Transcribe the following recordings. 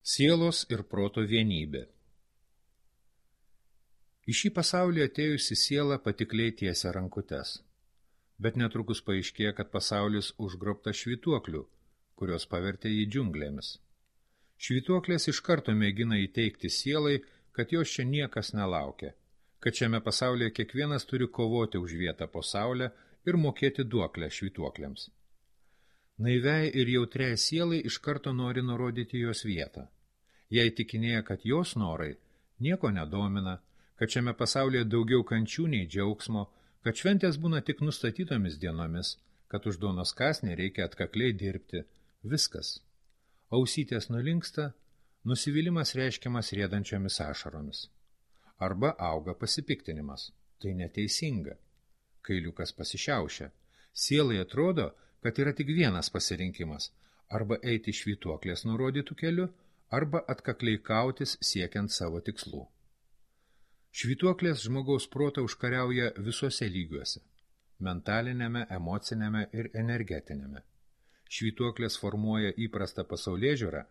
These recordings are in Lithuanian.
Sielos ir proto vienybė. Į šį pasaulį atėjusi siela patikliai tiesia rankutes. Bet netrukus paaiškėja, kad pasaulis užgrobtas švytuoklių, kurios pavertė jį džiunglėmis. Švytuoklės iš karto mėgina įteikti sielai, kad jos čia niekas nelaukia, kad šiame pasaulyje kiekvienas turi kovoti už vietą po saulę ir mokėti duoklę švytuokliams. Naiviai ir jautriai sielai iš karto nori nurodyti jos vietą. Jei tikinėja, kad jos norai nieko nedomina, kad šiame pasaulyje daugiau kančių nei džiaugsmo, kad šventės būna tik nustatytomis dienomis, kad už duonos kąsnį reikia atkakliai dirbti, viskas. Ausytės nulinksta, nusivylimas reiškiamas riedančiomis ašaromis. Arba auga pasipiktinimas. Tai neteisinga. Kailiukas pasišiaušia. Sielai atrodo, kad yra tik vienas pasirinkimas – arba eiti švytuoklės nurodytų keliu, arba atkakliai kautis siekiant savo tikslų. Švytuoklės žmogaus protą užkariauja visuose lygiuose – mentalinėme, emocinėme ir energetinėme. Švytuoklės formuoja įprastą pasaulėžiūrą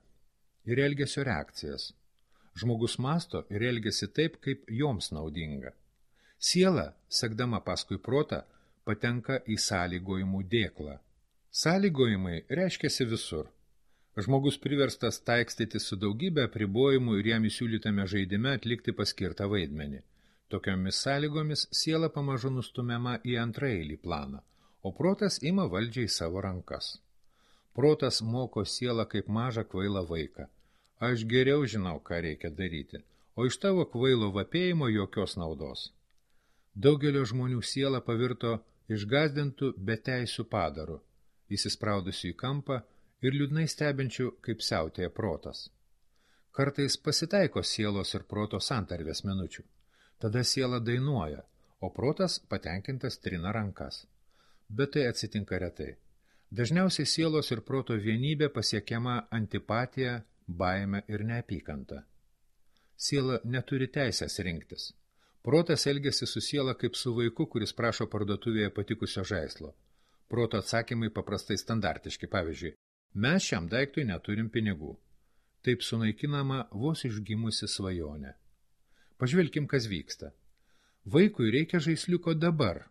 ir elgesio reakcijas. Žmogus mąsto ir elgiasi taip, kaip joms naudinga. Siela, sekdama paskui protą, patenka į sąlygojimų dėklą. Sąlygojimai reiškiasi visur. Žmogus priverstas taikstytis su daugybė apribojimų ir jam įsiūlytame žaidime atlikti paskirtą vaidmenį. Tokiomis sąlygomis siela pamažu nustumiama į antraeilį planą, o protas ima valdžią į savo rankas. Protas moko sielą kaip mažą kvailą vaiką. Aš geriau žinau, ką reikia daryti, o iš tavo kvailo vapėjimo jokios naudos. Daugelio žmonių siela pavirto išgąsdintų beteisių padaru, įsispraudusių į kampą ir liūdnai stebinčių, kaip siautėja protas. Kartais pasitaiko sielos ir proto santarvės minučių. Tada siela dainuoja, o protas patenkintas trina rankas. Bet tai atsitinka retai. Dažniausiai sielos ir proto vienybė pasiekiama antipatija, baime ir neapykanta. Siela neturi teisės rinktis. Protas elgiasi su siela kaip su vaiku, kuris prašo parduotuvėje patikusio žaislo. Proto atsakymai paprastai standartiški, pavyzdžiui, mes šiam daiktui neturim pinigų. Taip sunaikinama vos išgimusi svajonė. Pažvelkim, kas vyksta. Vaikui reikia žaisliuko dabar.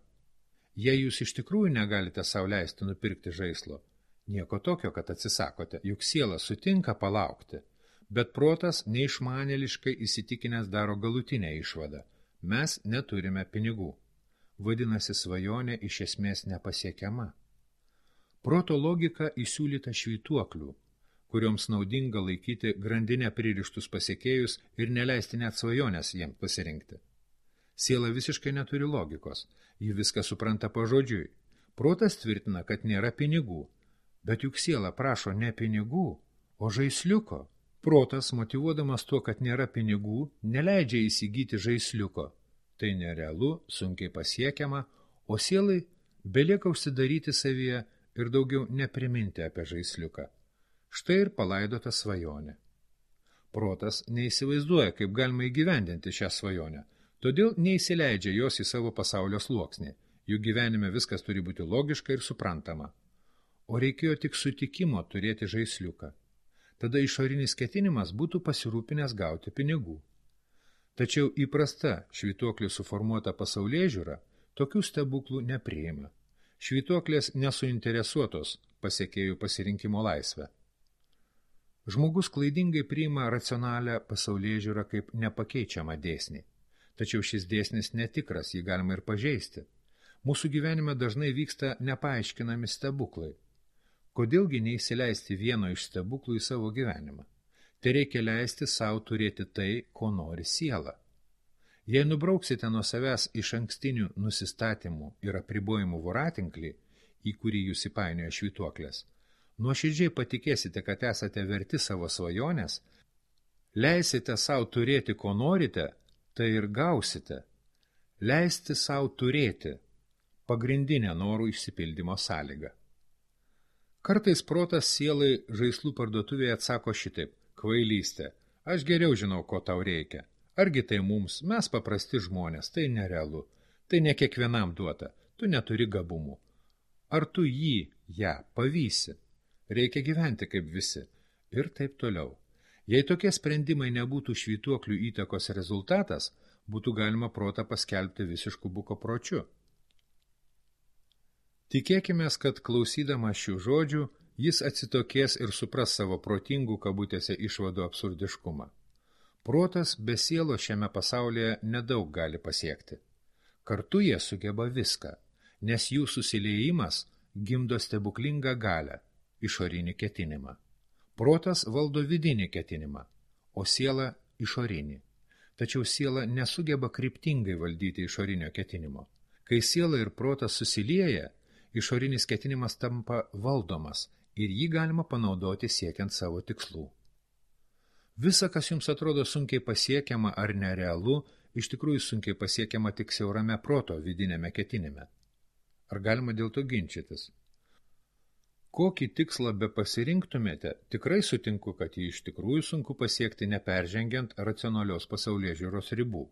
Jei jūs iš tikrųjų negalite sau leisti nupirkti žaislo, nieko tokio, kad atsisakote, juk siela sutinka palaukti, bet protas neišmanėliškai įsitikinęs daro galutinę išvadą. Mes neturime pinigų. Vadinasi, svajonė iš esmės nepasiekiama. Proto logika įsiūlyta švytuoklių, kurioms naudinga laikyti grandinę pririštus pasiekėjus ir neleisti net svajonės jiems pasirinkti. Siela visiškai neturi logikos, ji viską supranta pažodžiui. Protas tvirtina, kad nėra pinigų, bet juk siela prašo ne pinigų, o žaisliuko. Protas, motyvuodamas tuo, kad nėra pinigų, neleidžia įsigyti žaisliuko. Tai nerealu, sunkiai pasiekiama, o sielai belieka užsidaryti savyje ir daugiau nepriminti apie žaisliuką. Štai ir palaidota svajonė. Protas neįsivaizduoja, kaip galima įgyvendinti šią svajonę, todėl neįsileidžia jos į savo pasaulio sluoksnį, juk gyvenime viskas turi būti logiška ir suprantama. O reikėjo tik sutikimo turėti žaisliuką. Tada išorinis ketinimas būtų pasirūpinęs gauti pinigų. Tačiau įprasta švytuoklė suformuota pasaulėžiūra tokių stebuklų nepriima. Švytuoklės nesuinteresuotos pasiekėjų pasirinkimo laisvę. Žmogus klaidingai priima racionalią pasaulėžiūrą kaip nepakeičiamą dėsnį. Tačiau šis dėsnis netikras, jį galima ir pažeisti. Mūsų gyvenime dažnai vyksta nepaaiškinami stebuklai. Kodėlgi neįsileisti vieno iš stebuklų į savo gyvenimą? Tai reikia leisti savo turėti tai, ko nori siela. Jei nubrauksite nuo savęs iš ankstinių nusistatymų ir apribojimų voratinklį, į kurį jūs įpainioja švytuoklės, nuoširdžiai patikėsite, kad esate verti savo svajonės, leisite savo turėti, ko norite, tai ir gausite. Leisti savo turėti – pagrindinė norų išsipildymo sąlyga. Kartais protas sielai žaislų parduotuvėje atsako šitaip – kvailystė, aš geriau žinau, ko tau reikia. Argi tai mums, mes paprasti žmonės, tai nerealu, tai ne kiekvienam duota, tu neturi gabumų. Ar tu ją pavysi? Reikia gyventi kaip visi. Ir taip toliau. Jei tokie sprendimai nebūtų švytuoklių įtakos rezultatas, būtų galima protą paskelbti visišku bukopročiu. Tikėkimės, kad klausydamas šių žodžių, jis atsitokės ir supras savo protingų kabutėse išvadų absurdiškumą. Protas be sielo šiame pasaulyje nedaug gali pasiekti. Kartu jie sugeba viską, nes jų susiliejimas gimdo stebuklingą galią, išorinį ketinimą. Protas valdo vidinį ketinimą, o siela išorinį. Tačiau siela nesugeba kryptingai valdyti išorinio ketinimo. Kai siela ir protas susilieja, išorinis ketinimas tampa valdomas ir jį galima panaudoti siekiant savo tikslų. Visa, kas jums atrodo sunkiai pasiekiama ar nerealu, iš tikrųjų sunkiai pasiekiama tik siaurame proto vidinėme ketinime. Ar galima dėl to ginčytis? Kokį tikslą be pasirinktumėte, tikrai sutinku, kad jį iš tikrųjų sunku pasiekti neperžengiant racionalios pasaulėžiūros ribų.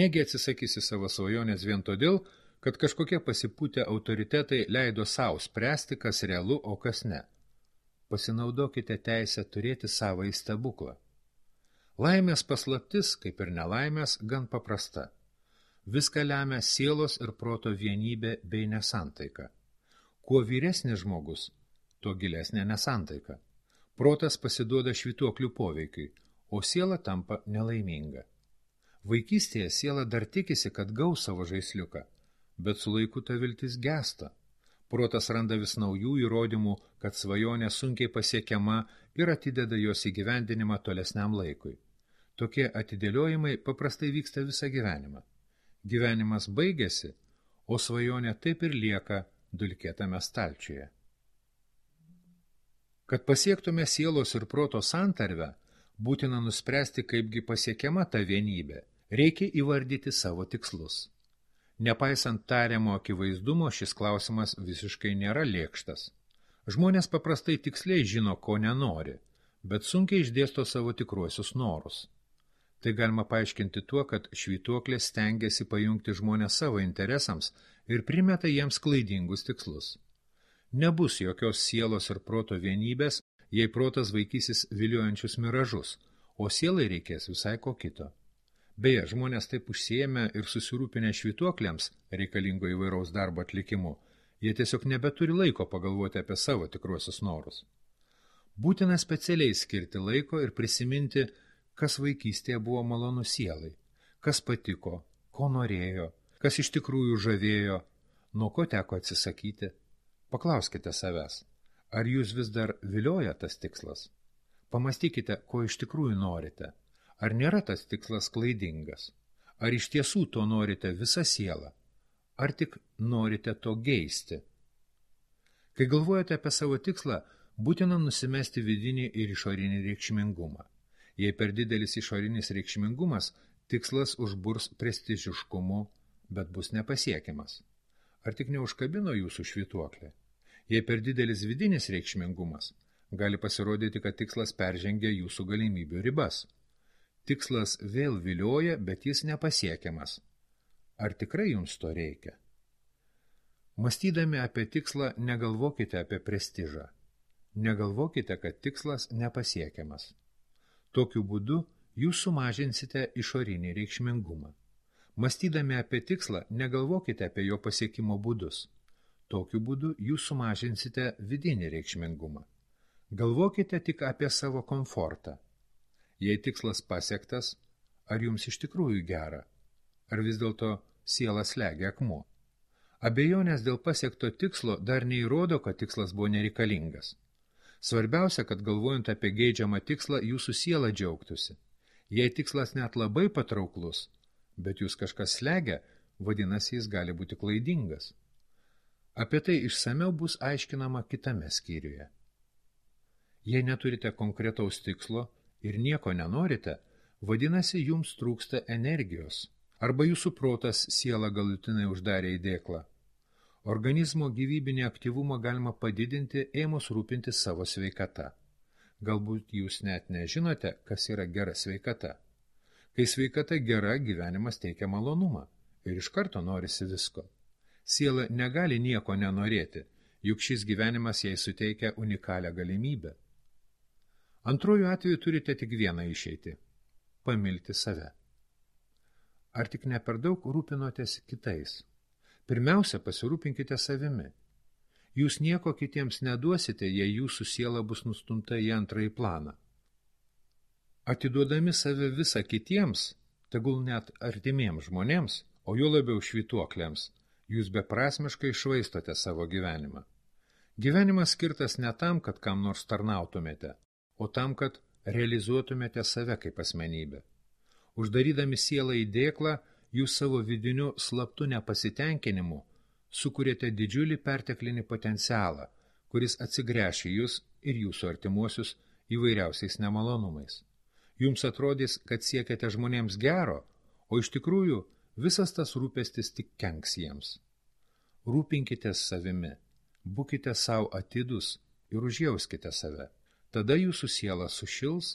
Negi atsisakysi savo svajonės vien todėl, kad kažkokie pasipūtę autoritetai leido savo spręsti, kas realu, o kas ne. Pasinaudokite teisę turėti savąjį stebuklą. Laimės paslaptis, kaip ir nelaimės, gan paprasta. Viską lemia sielos ir proto vienybė bei nesantaika. Kuo vyresnis žmogus, tuo gilesnė nesantaika. Protas pasiduoda švytuoklių poveikiui, o siela tampa nelaiminga. Vaikystėje siela dar tikisi, kad gaus savo žaisliuką, bet su laiku ta viltis gęsta. Protas randa vis naujų įrodymų, kad svajonė sunkiai pasiekiama ir atideda jos įgyvendinimą tolesniam laikui. Tokie atidėliojimai paprastai vyksta visą gyvenimą. Gyvenimas baigėsi, o svajonė taip ir lieka dulkėtame stalčiuje. Kad pasiektume sielos ir proto santarvę, būtina nuspręsti, kaipgi pasiekiama ta vienybė, reikia įvardyti savo tikslus. Nepaisant tariamo akivaizdumo, šis klausimas visiškai nėra lėkštas. Žmonės paprastai tiksliai žino, ko nenori, bet sunkiai išdėsto savo tikruosius norus. Tai galima paaiškinti tuo, kad švytuoklės stengiasi pajungti žmonės savo interesams ir primeta jiems klaidingus tikslus. Nebus jokios sielos ir proto vienybės, jei protas vaikysis viliojančius miražus, o sielai reikės visai ko kito. Beje, žmonės taip užsiėmę ir susirūpinę švytuokliams reikalingo įvairaus darbo atlikimu, jie tiesiog nebeturi laiko pagalvoti apie savo tikruosius norus. Būtina specialiai skirti laiko ir prisiminti, kas vaikystėje buvo malonu sielai, kas patiko, ko norėjo, kas iš tikrųjų žavėjo, nuo ko teko atsisakyti. Paklauskite savęs, ar jūs vis dar vilioja tas tikslas? Pamastykite, ko iš tikrųjų norite. Ar nėra tas tikslas klaidingas? Ar iš tiesų to norite visą sielą? Ar tik norite to geisti? Kai galvojate apie savo tikslą, būtina nusimesti vidinį ir išorinį reikšmingumą. Jei per didelis išorinis reikšmingumas, tikslas užburs prestižiškumu, bet bus nepasiekiamas. Ar tik neužkabino jūsų švytuoklė? Jei per didelis vidinis reikšmingumas, gali pasirodyti, kad tikslas peržengia jūsų galimybių ribas. Tikslas vėl vilioja, bet jis nepasiekiamas. Ar tikrai jums to reikia? Mąstydami apie tikslą, negalvokite apie prestižą. Negalvokite, kad tikslas nepasiekiamas. Tokiu būdu jūs sumažinsite išorinį reikšmingumą. Mąstydami apie tikslą, negalvokite apie jo pasiekimo būdus. Tokiu būdu jūs sumažinsite vidinį reikšmingumą. Galvokite tik apie savo komfortą. Jei tikslas pasiektas, ar jums iš tikrųjų gera? Ar vis dėlto siela slegia akmuo? Abejonės dėl pasiekto tikslo dar neįrodo, kad tikslas buvo nereikalingas. Svarbiausia, kad galvojant apie geidžiamą tikslą, jūsų siela džiaugtųsi. Jei tikslas net labai patrauklus, bet jūs kažkas slegia, vadinasi, jis gali būti klaidingas. Apie tai išsamiau bus aiškinama kitame skyriuje. Jei neturite konkretaus tikslo ir nieko nenorite, vadinasi, jums trūksta energijos, arba jūsų protas sielą galutinai uždarė į dėklą. Organizmo gyvybinį aktyvumą galima padidinti, ėmus rūpinti savo sveikata. Galbūt jūs net nežinote, kas yra gera sveikata. Kai sveikata gera, gyvenimas teikia malonumą ir iš karto norisi visko. Siela negali nieko nenorėti, juk šis gyvenimas jai suteikia unikalią galimybę. Antruoju atveju turite tik vieną išeitį – pamilti save. Ar tik ne per daug rūpinotės kitais? Pirmiausia, pasirūpinkite savimi. Jūs nieko kitiems neduosite, jei jūsų siela bus nustumta į antrąjį planą. Atiduodami save visą kitiems, tegul net artimiems žmonėms, o juo labiau švytuokliams, jūs beprasmiškai švaistote savo gyvenimą. Gyvenimas skirtas ne tam, kad kam nors tarnautumėte, o tam, kad realizuotumėte save kaip asmenybę. Uždarydami sielą į dėklą, jūs savo vidiniu slaptu nepasitenkinimu sukūrėte didžiulį perteklinį potencialą, kuris atsigręš į jūs ir jūsų artimuosius įvairiausiais nemalonumais. Jums atrodys, kad siekiate žmonėms gero, o iš tikrųjų visas tas rūpestis tik kenks jiems. Rūpinkitės savimi, būkite savo atidus ir užjauskite save. Tada jūsų siela sušils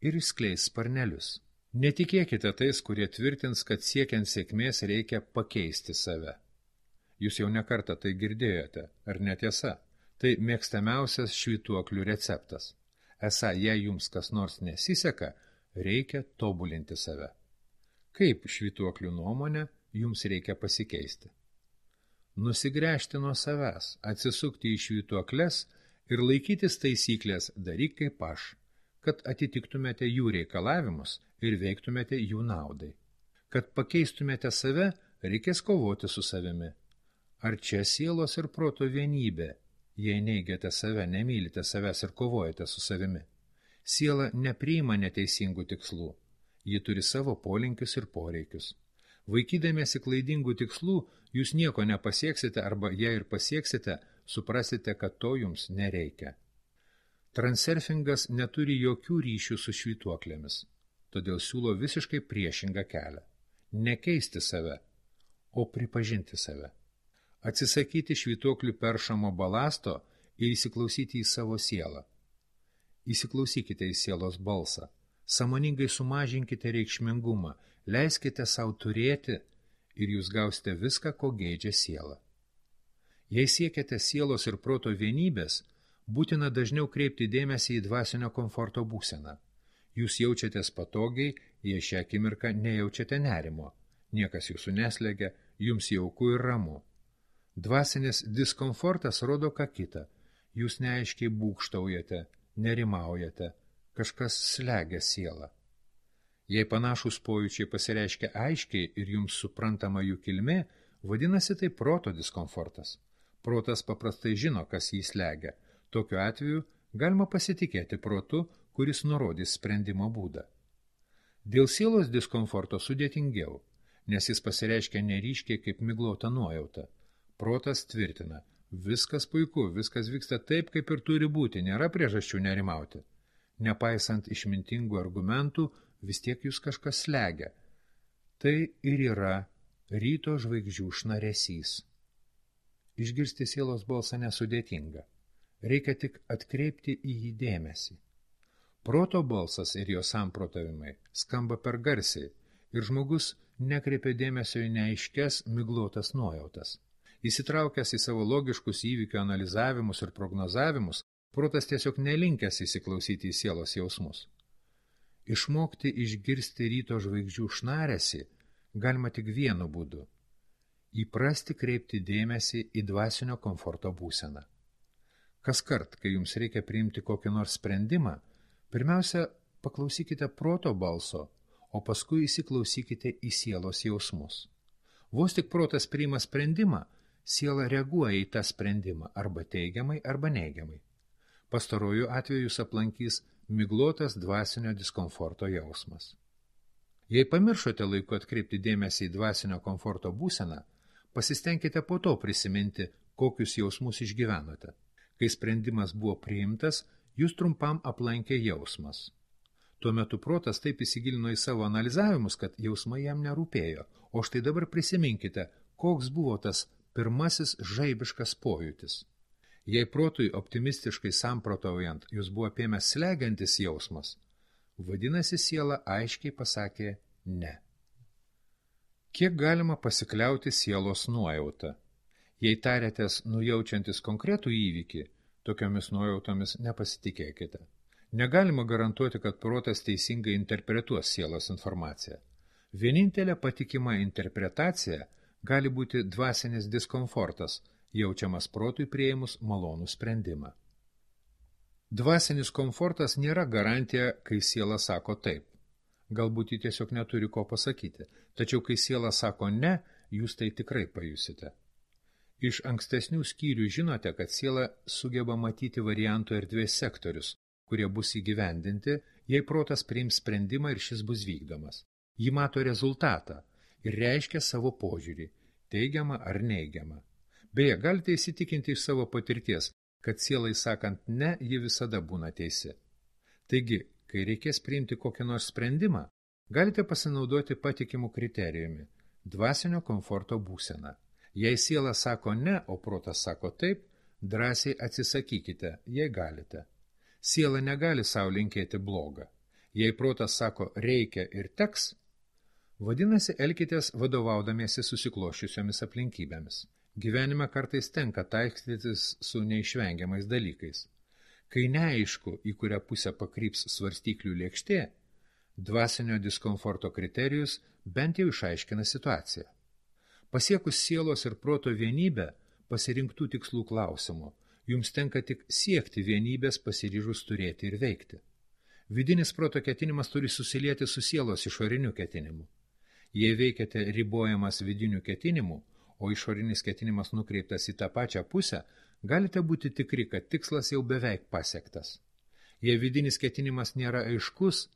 ir išskleis sparnelius. Netikėkite tais, kurie tvirtins, kad siekiant sėkmės reikia pakeisti save. Jūs jau nekartą tai girdėjote, ar netiesa? Tai mėgstamiausias švytuoklių receptas. Esą, jei jums kas nors nesiseka, reikia tobulinti save. Kaip švytuoklių nuomonė jums reikia pasikeisti? Nusigręžti nuo savęs, atsisukti į švytuokles ir laikytis taisyklės daryk kaip aš, kad atitiktumėte jų reikalavimus ir veiktumėte jų naudai. Kad pakeistumėte save, reikės kovoti su savimi. Ar čia sielos ir proto vienybė, jei neigiate save, nemylite savęs ir kovojate su savimi? Siela nepriima neteisingų tikslų. Ji turi savo polinkius ir poreikius. Vaikydamiesi klaidingų tikslų, jūs nieko nepasieksite arba jei ir pasieksite, suprasite, kad to jums nereikia. Transurfingas neturi jokių ryšių su švytuoklėmis, todėl siūlo visiškai priešingą kelią. Nekeisti save, o pripažinti save. Atsisakyti švytuoklių peršamo balasto ir įsiklausyti į savo sielą. Įsiklausykite į sielos balsą, sąmoningai sumažinkite reikšmingumą, leiskite savo turėti ir jūs gausite viską, ko geidžia siela. Jei siekiate sielos ir proto vienybės, būtina dažniau kreipti dėmesį į dvasinio komforto būseną. Jūs jaučiatės patogiai, jei šią akimirką nejaučiate nerimo. Niekas jūsų neslegia, jums jauku ir ramu. Dvasinis diskomfortas rodo ką kitą. Jūs neaiškiai būgštaujate, nerimaujate, kažkas slegia sielą. Jei panašūs pojūčiai pasireiškia aiškiai ir jums suprantama jų kilmė, vadinasi tai proto diskomfortas. Protas paprastai žino, kas jį slegia. Tokiu atveju galima pasitikėti protu, kuris nurodys sprendimo būdą. Dėl sielos diskomforto sudėtingiau, nes jis pasireiškia neryškiai kaip miglota nuojauta. Protas tvirtina, viskas puiku, viskas vyksta taip, kaip ir turi būti, nėra priežasčių nerimauti. Nepaisant išmintingų argumentų, vis tiek jūs kažkas slegia. Tai ir yra ryto žvaigždžių šnaresys. Išgirsti sielos balsą nesudėtinga. Reikia tik atkreipti į jį dėmesį. Proto balsas ir jo samprotavimai skamba per garsiai ir žmogus nekreipia dėmesio į neaiškias miglotas nuojautas. Įsitraukęs į savo logiškus įvykių analizavimus ir prognozavimus, protas tiesiog nelinkęs įsiklausyti į sielos jausmus. Išmokti išgirsti ryto žvaigždžių šnaresį galima tik vienu būdu – įprasti kreipti dėmesį į dvasinio komforto būseną. Kaskart, kai jums reikia priimti kokį nors sprendimą, pirmiausia, paklausykite proto balso, o paskui įsiklausykite į sielos jausmus. Vos tik protas priima sprendimą, siela reaguoja į tą sprendimą arba teigiamai, arba neigiamai. Pastaruoju atveju jūs aplankys miglotas dvasinio diskomforto jausmas. Jei pamiršote laiku atkreipti dėmesį į dvasinio komforto būseną, pasistengkite po to prisiminti, kokius jausmus išgyvenote. Kai sprendimas buvo priimtas, jūs trumpam aplankė jausmas. Tuo metu protas taip įsigilino į savo analizavimus, kad jausmai jam nerūpėjo, o štai dabar prisiminkite, koks buvo tas pirmasis žaibiškas pojūtis. Jei protui optimistiškai samprotaujant jūs buvo apėmęs slegiantis jausmas, vadinasi siela aiškiai pasakė ne. Kiek galima pasikliauti sielos nuojautą? Jei tariatės nujaučiantis konkretų įvykį, tokiomis nuojautomis nepasitikėkite. Negalima garantuoti, kad protas teisingai interpretuos sielos informaciją. Vienintelė patikima interpretacija gali būti dvasinis diskomfortas, jaučiamas protui priėmus malonų sprendimą. Dvasinis komfortas nėra garantija, kai siela sako taip. Galbūt ji tiesiog neturi ko pasakyti, tačiau kai siela sako ne, jūs tai tikrai pajusite. Iš ankstesnių skyrių žinote, kad siela sugeba matyti variantų erdvės sektorius, kurie bus įgyvendinti, jei protas priims sprendimą ir šis bus vykdomas. Ji mato rezultatą ir reiškia savo požiūrį, teigiamą ar neigiamą. Beje, galite įsitikinti iš savo patirties, kad sielai sakant ne, ji visada būna teisi. Taigi, kai reikės priimti kokį nors sprendimą, galite pasinaudoti patikimų kriterijumi – dvasinio komforto būseną. Jei siela sako ne, o protas sako taip, drąsiai atsisakykite, jei galite. Siela negali sau linkėti blogą. Jei protas sako reikia ir teks, vadinasi, elkitės vadovaudamiesi susikloščiusiomis aplinkybėmis. Gyvenime kartais tenka taikstytis su neišvengiamais dalykais. Kai neaišku, į kurią pusę pakryps svarstyklių lėkštė, dvasinio diskomforto kriterijus bent jau išaiškina situaciją. Pasiekus sielos ir proto vienybę, pasirinktų tikslų klausimų, jums tenka tik siekti vienybės pasiryžus turėti ir veikti. Vidinis proto ketinimas turi susilieti su sielos išoriniu ketinimu. Jei veikiate ribojamas vidinių ketinimų, o išorinis ketinimas nukreiptas į tą pačią pusę, galite būti tikri, kad tikslas jau beveik pasiektas. Jei vidinis ketinimas nėra aiškus,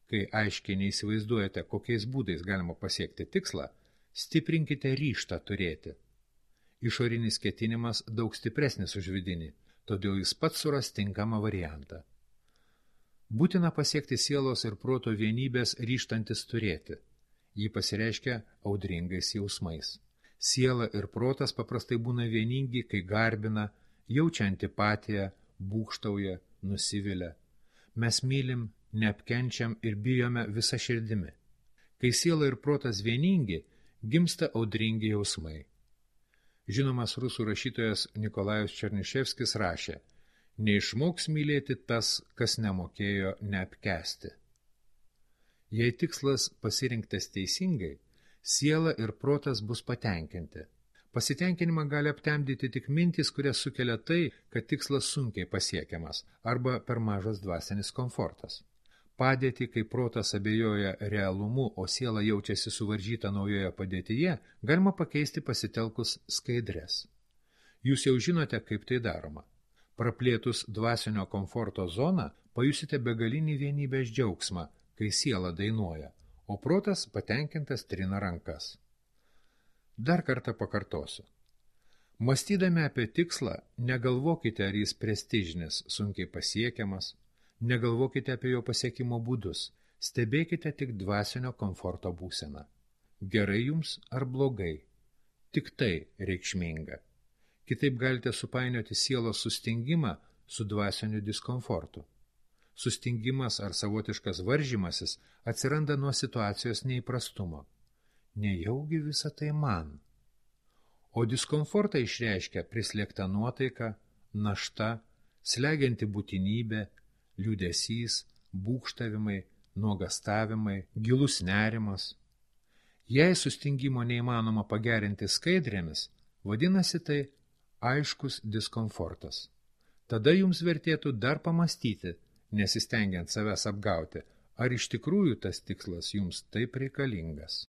kai aiškiai neįsivaizduojate, kokiais būdais galima pasiekti tikslą, stiprinkite ryžtą turėti. Išorinis ketinimas daug stipresnis už vidinį, todėl jis pats suras tinkamą variantą. Būtina pasiekti sielos ir proto vienybės ryžtantis turėti. Ji pasireiškia audringais jausmais. Siela ir protas paprastai būna vieningi, kai garbina, jaučia antipatiją, būgštauja, nusivilia. Mes mylim, neapkenčiam ir bijome visą širdimi. Kai siela ir protas vieningi, gimsta audringi jausmai. Žinomas rusų rašytojas Nikolajus Černiševskis rašė: neišmoks mylėti tas, kas nemokėjo neapkęsti. Jei tikslas pasirinktas teisingai, siela ir protas bus patenkinti. Pasitenkinimą gali aptemdyti tik mintys, kurias sukelia tai, kad tikslas sunkiai pasiekiamas arba per mažas dvasinis komfortas. Padėtį, kai protas abejoja realumu, o siela jaučiasi suvaržyta naujoje padėtyje, galima pakeisti pasitelkus skaidres. Jūs jau žinote, kaip tai daroma. Praplėtus dvasinio komforto zoną, pajusite begalinį vienybės džiaugsmą, kai siela dainuoja, o protas patenkintas trina rankas. Dar kartą pakartosiu. Mąstydami apie tikslą, negalvokite, ar jis prestižinis, sunkiai pasiekiamas, negalvokite apie jo pasiekimo būdus, stebėkite tik dvasinio komforto būseną. Gerai jums ar blogai? Tik tai reikšminga. Kitaip galite supainioti sielos sustingimą su dvasiniu diskomfortu. Sustingimas ar savotiškas varžymasis atsiranda nuo situacijos neįprastumo. Nejaugi visą tai man. O diskomfortą išreiškia prislėgta nuotaika, našta, slegianti būtinybė, liūdesys, būgštavimai, nuogastavimai, gilus nerimas. Jei sustingimo neįmanoma pagerinti skaidrėmis, vadinasi tai aiškus diskomfortas. Tada jums vertėtų dar pamastyti, nesistengiant savęs apgauti, ar iš tikrųjų tas tikslas jums taip reikalingas.